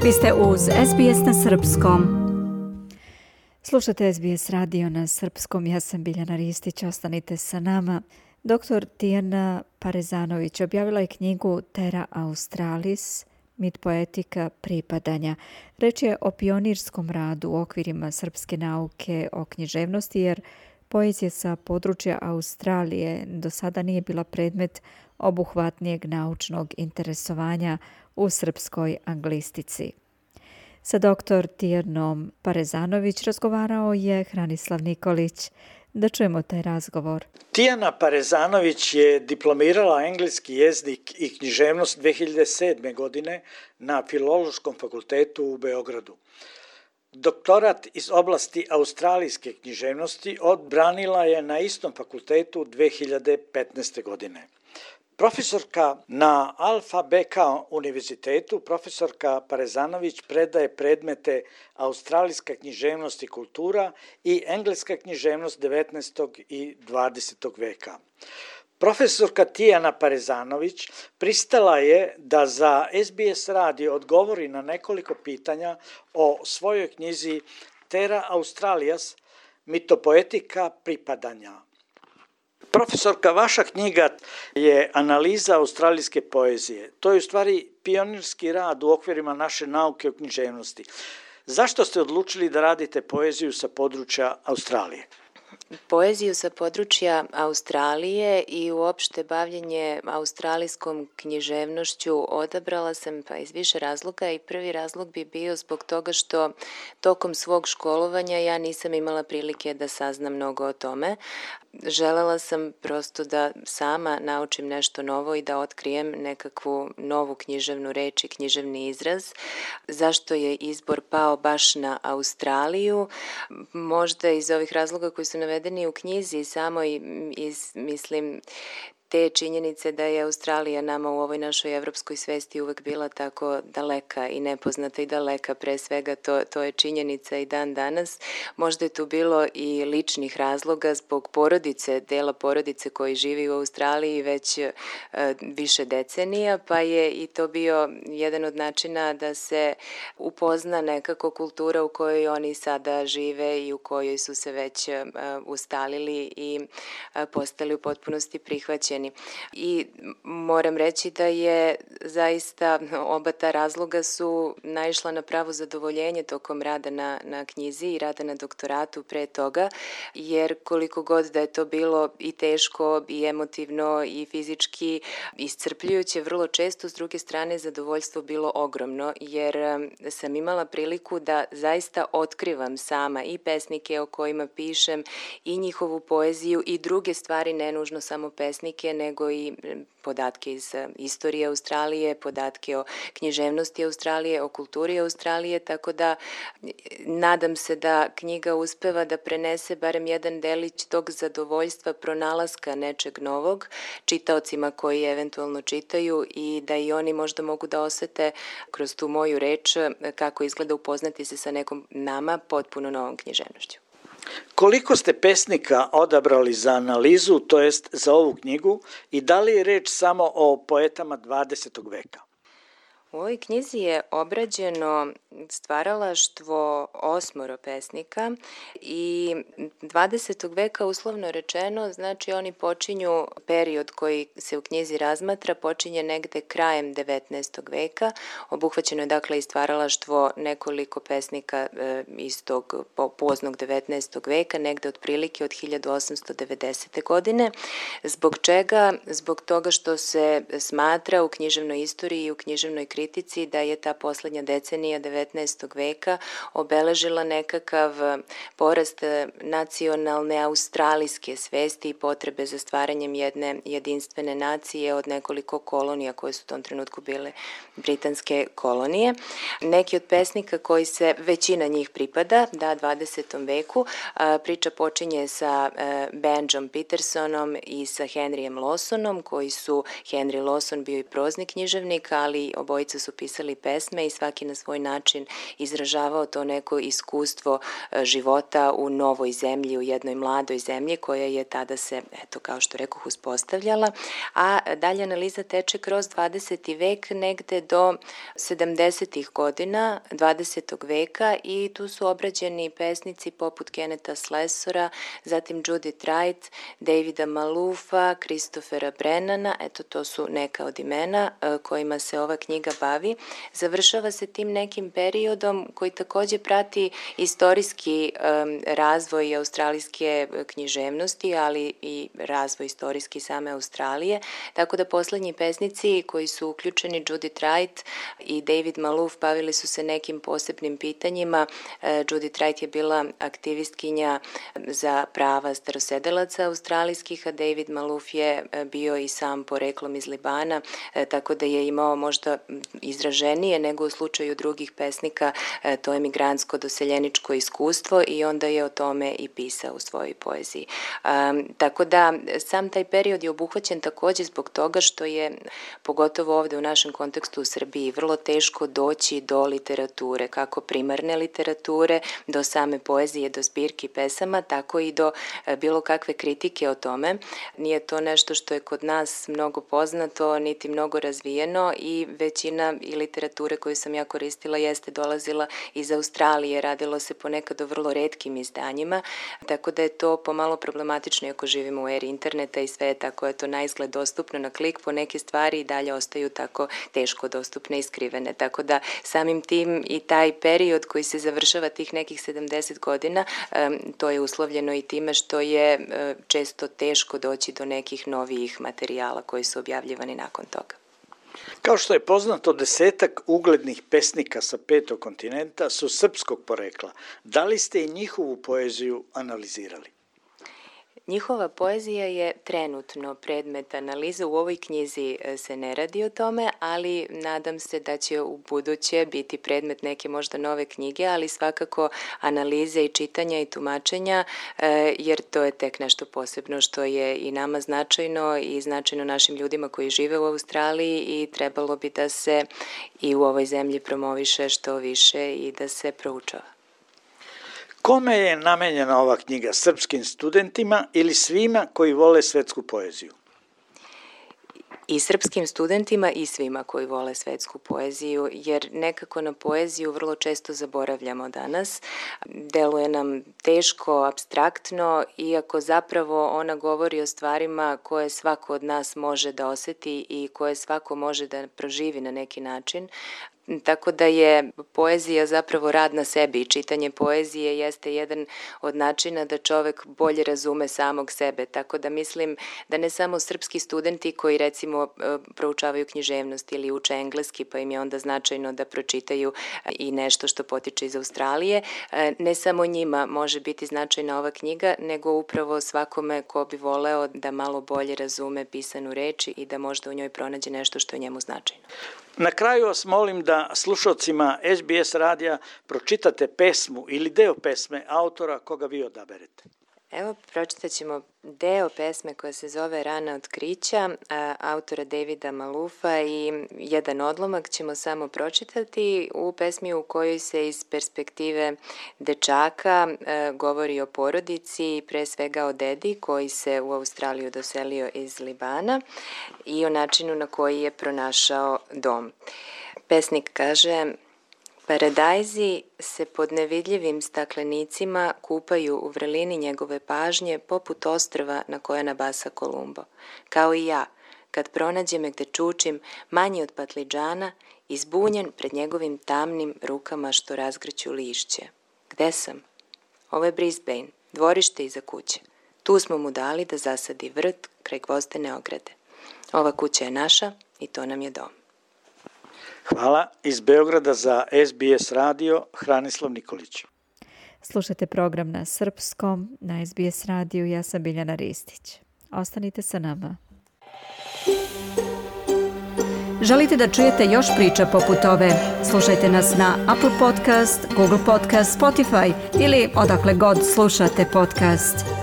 Vi ste uz SBS na srpskom. Slušate SBS radio na srpskom. Ja sam Biljana Ristić. Ostanite sa nama. Dr. Tijana Parezanović objavila je knjigu Terra Australis, mit poetika pripadanja. Reč je o pionirskom radu u okvirima srpske nauke o književnosti, jer poezija sa područja Australije do sada nije bila predmet obuhvatnijeg naučnog interesovanja u srpskoj anglistici. Sa dr. Tijanom Parezanović razgovarao je Hranislav Nikolić. Da čujemo taj razgovor. Tijana Parezanović je diplomirala engleski jezik i književnost 2007. godine na Filološkom fakultetu u Beogradu. Doktorat iz oblasti australijske književnosti odbranila je na istom fakultetu 2015. godine. Profesorka na Alfa Beka univerzitetu, profesorka Parezanović predaje predmete australijska književnost i kultura i engleska književnost 19. i 20. veka. Profesorka Tijana Parezanović pristala je da za SBS radio odgovori na nekoliko pitanja o svojoj knjizi Terra Australis, mitopoetika pripadanja. Profesorka, vaša knjiga je analiza australijske poezije. To je u stvari pionirski rad u okvirima naše nauke o književnosti. Zašto ste odlučili da radite poeziju sa područja Australije? Poeziju sa područja Australije i uopšte bavljenje australijskom književnošću odabrala sam iz više razloga i prvi razlog bi bio zbog toga što tokom svog školovanja ja nisam imala prilike da saznam mnogo o tome. Želela sam prosto da sama naučim nešto novo i da otkrijem nekakvu novu književnu reč i književni izraz. Zašto je izbor pao baš na Australiju? Možda iz ovih razloga koji su navedeni u knjizi, samo mislim te činjenice da je Australija nama u ovoj našoj evropskoj svesti uvek bila tako daleka i nepoznata i daleka, pre svega to je činjenica i dan danas. Možda je tu bilo i ličnih razloga zbog porodice, dela porodice koji živi u Australiji već više decenija, pa je i to bio jedan od načina da se upozna nekako kultura u kojoj oni sada žive i u kojoj su se već ustalili i postali u potpunosti prihvaćeni. I moram reći da je zaista oba ta razloga su naišla na pravo zadovoljenje tokom rada na knjizi i rada na doktoratu pre toga, jer koliko god da je to bilo i teško i emotivno i fizički iscrpljujuće, vrlo često s druge strane zadovoljstvo bilo ogromno, jer sam imala priliku da zaista otkrivam sama i pesnike o kojima pišem i njihovu poeziju i druge stvari, ne nužno samo pesnike, nego i podatke iz istorije Australije, podatke o književnosti Australije, o kulturi Australije, tako da nadam se da knjiga uspeva da prenese barem jedan delić tog zadovoljstva pronalaska nečeg novog čitaocima koji eventualno čitaju i da i oni možda mogu da osete kroz tu moju reč kako izgleda upoznati se sa nekom nama potpuno novom književnošću. Koliko ste pesnika odabrali za analizu, to jest za ovu knjigu, i da li je reč samo o poetama 20. veka? U ovoj knjizi je obrađeno stvaralaštvo 8 pesnika i 20. veka uslovno rečeno, znači oni počinju, period koji se u knjizi razmatra, počinje negde krajem 19. veka. Obuhvaćeno je dakle i stvaralaštvo nekoliko pesnika iz tog poznog 19. veka, negde otprilike od 1890. godine. Zbog čega? Zbog toga što se smatra u književnoj istoriji i u književnoj kritici da je ta poslednja decenija 19. veka obeležila nekakav porast nacionalne australijske svesti i potrebe za stvaranjem jedne jedinstvene nacije od nekoliko kolonija koje su u tom trenutku bile britanske kolonije. Neki od pesnika koji se, većina njih pripada, 20. veku, priča počinje sa Benjom Petersonom i sa Henryjem Lawsonom, koji su, Henry Lawson bio i prozni književnik, ali obojica su pisali pesme i svaki na svoj način način izražavao to neko iskustvo života u novoj zemlji, u jednoj mladoj zemlji koja je tada se, eto, kao što rekoh, uspostavljala, a dalje analiza teče kroz 20. vek negde do 70. godina 20. veka i tu su obrađeni pesnici poput Kennetha Slessora, zatim Judith Wright, Davida Maloofa, Christophera Brennana, eto to su neka od imena kojima se ova knjiga bavi. Završava se tim nekim periodom koji takođe prati istorijski razvoj australijske književnosti, ali i razvoj istorijski same Australije, tako da poslednji pesnici koji su uključeni, Judith Wright i David Maloof, bavili su se nekim posebnim pitanjima. Judith Wright je bila aktivistkinja za prava starosedelaca australijskih, a David Maloof je bio i sam poreklom iz Libana, tako da je imao možda izraženije nego u slučaju drugih pesnika to emigrantsko doseljeničko iskustvo i onda je o tome i pisao u svojoj poeziji. Tako da sam taj period je obuhvaćen takođe zbog toga što je, pogotovo ovde u našem kontekstu u Srbiji, vrlo teško doći do literature, kako primarne literature, do same poezije, do zbirki pesama, tako i do bilo kakve kritike o tome. Nije to nešto što je kod nas mnogo poznato, niti mnogo razvijeno i većina i literature koju sam ja koristila jeste dolazila iz Australije, radilo se ponekad o vrlo retkim izdanjima, tako da je to pomalo problematično ako živimo u eri interneta i sve je tako je to na izgled dostupno na klik, po neke stvari i dalje ostaju tako teško dostupne i skrivene. Tako da samim tim i taj period koji se završava tih nekih 70 godina, to je uslovljeno i time što je često teško doći do nekih novijih materijala koji su objavljivani nakon toga. Kao što je poznato, 10 uglednih pesnika sa 5. kontinenta su srpskog porekla. Da li ste i njihovu poeziju analizirali? Njihova poezija je trenutno predmet analize, u ovoj knjizi se ne radi o tome, ali nadam se da će u buduće biti predmet neke možda nove knjige, ali svakako analize i čitanja i tumačenja, jer to je tek nešto posebno što je i nama značajno i značajno našim ljudima koji žive u Australiji i trebalo bi da se i u ovoj zemlji promoviše što više i da se proučava. Kome je namenjena ova knjiga? Srpskim studentima ili svima koji vole svetsku poeziju? I srpskim studentima i svima koji vole svetsku poeziju, jer nekako na poeziju vrlo često zaboravljamo danas. Deluje nam teško, apstraktno, iako zapravo ona govori o stvarima koje svako od nas može da oseti i koje svako može da proživi na neki način. Tako da je poezija zapravo rad na sebi i čitanje poezije jeste jedan od načina da čovek bolje razume samog sebe. Tako da mislim da ne samo srpski studenti koji recimo proučavaju književnost ili uče engleski pa im je onda značajno da pročitaju i nešto što potiče iz Australije, ne samo njima može biti značajna ova knjiga, nego upravo svakome ko bi voleo da malo bolje razume pisanu reč i da možda u njoj pronađe nešto što je njemu značajno. Na kraju vas molim da slušalcima SBS radija pročitate pesmu ili deo pesme autora koga vi odaberete. Evo, pročitat ćemo deo pesme koja se zove Rana otkrića, autora Davida Maloofa i jedan odlomak ćemo samo pročitati u pesmi u kojoj se iz perspektive dečaka govori o porodici, pre svega o dedi koji se u Australiju doselio iz Libana i o načinu na koji je pronašao dom. Pesnik kaže: Paradajzi se pod nevidljivim staklenicima kupaju u vrelini njegove pažnje poput ostrva na koje nabasa Kolumbo. Kao i ja, kad pronađe me gde čučim, manji od patlidžana, izbunjen pred njegovim tamnim rukama što razgrću lišće. Gde sam? Ovo je Brisbane, dvorište iza kuće. Tu smo mu dali da zasadi vrt kraj gvozdene ograde. Ova kuća je naša i to nam je dom. Hvala. Iz Beograda za SBS radio, Hranislav Nikolić. Slušajte program na srpskom, na SBS radiju. Ja sam Biljana Ristić. Ostanite sa nama. Želite da čujete još priča poput ove? Slušajte nas na Apple Podcast, Google Podcast, Spotify ili odakle god slušate podcast.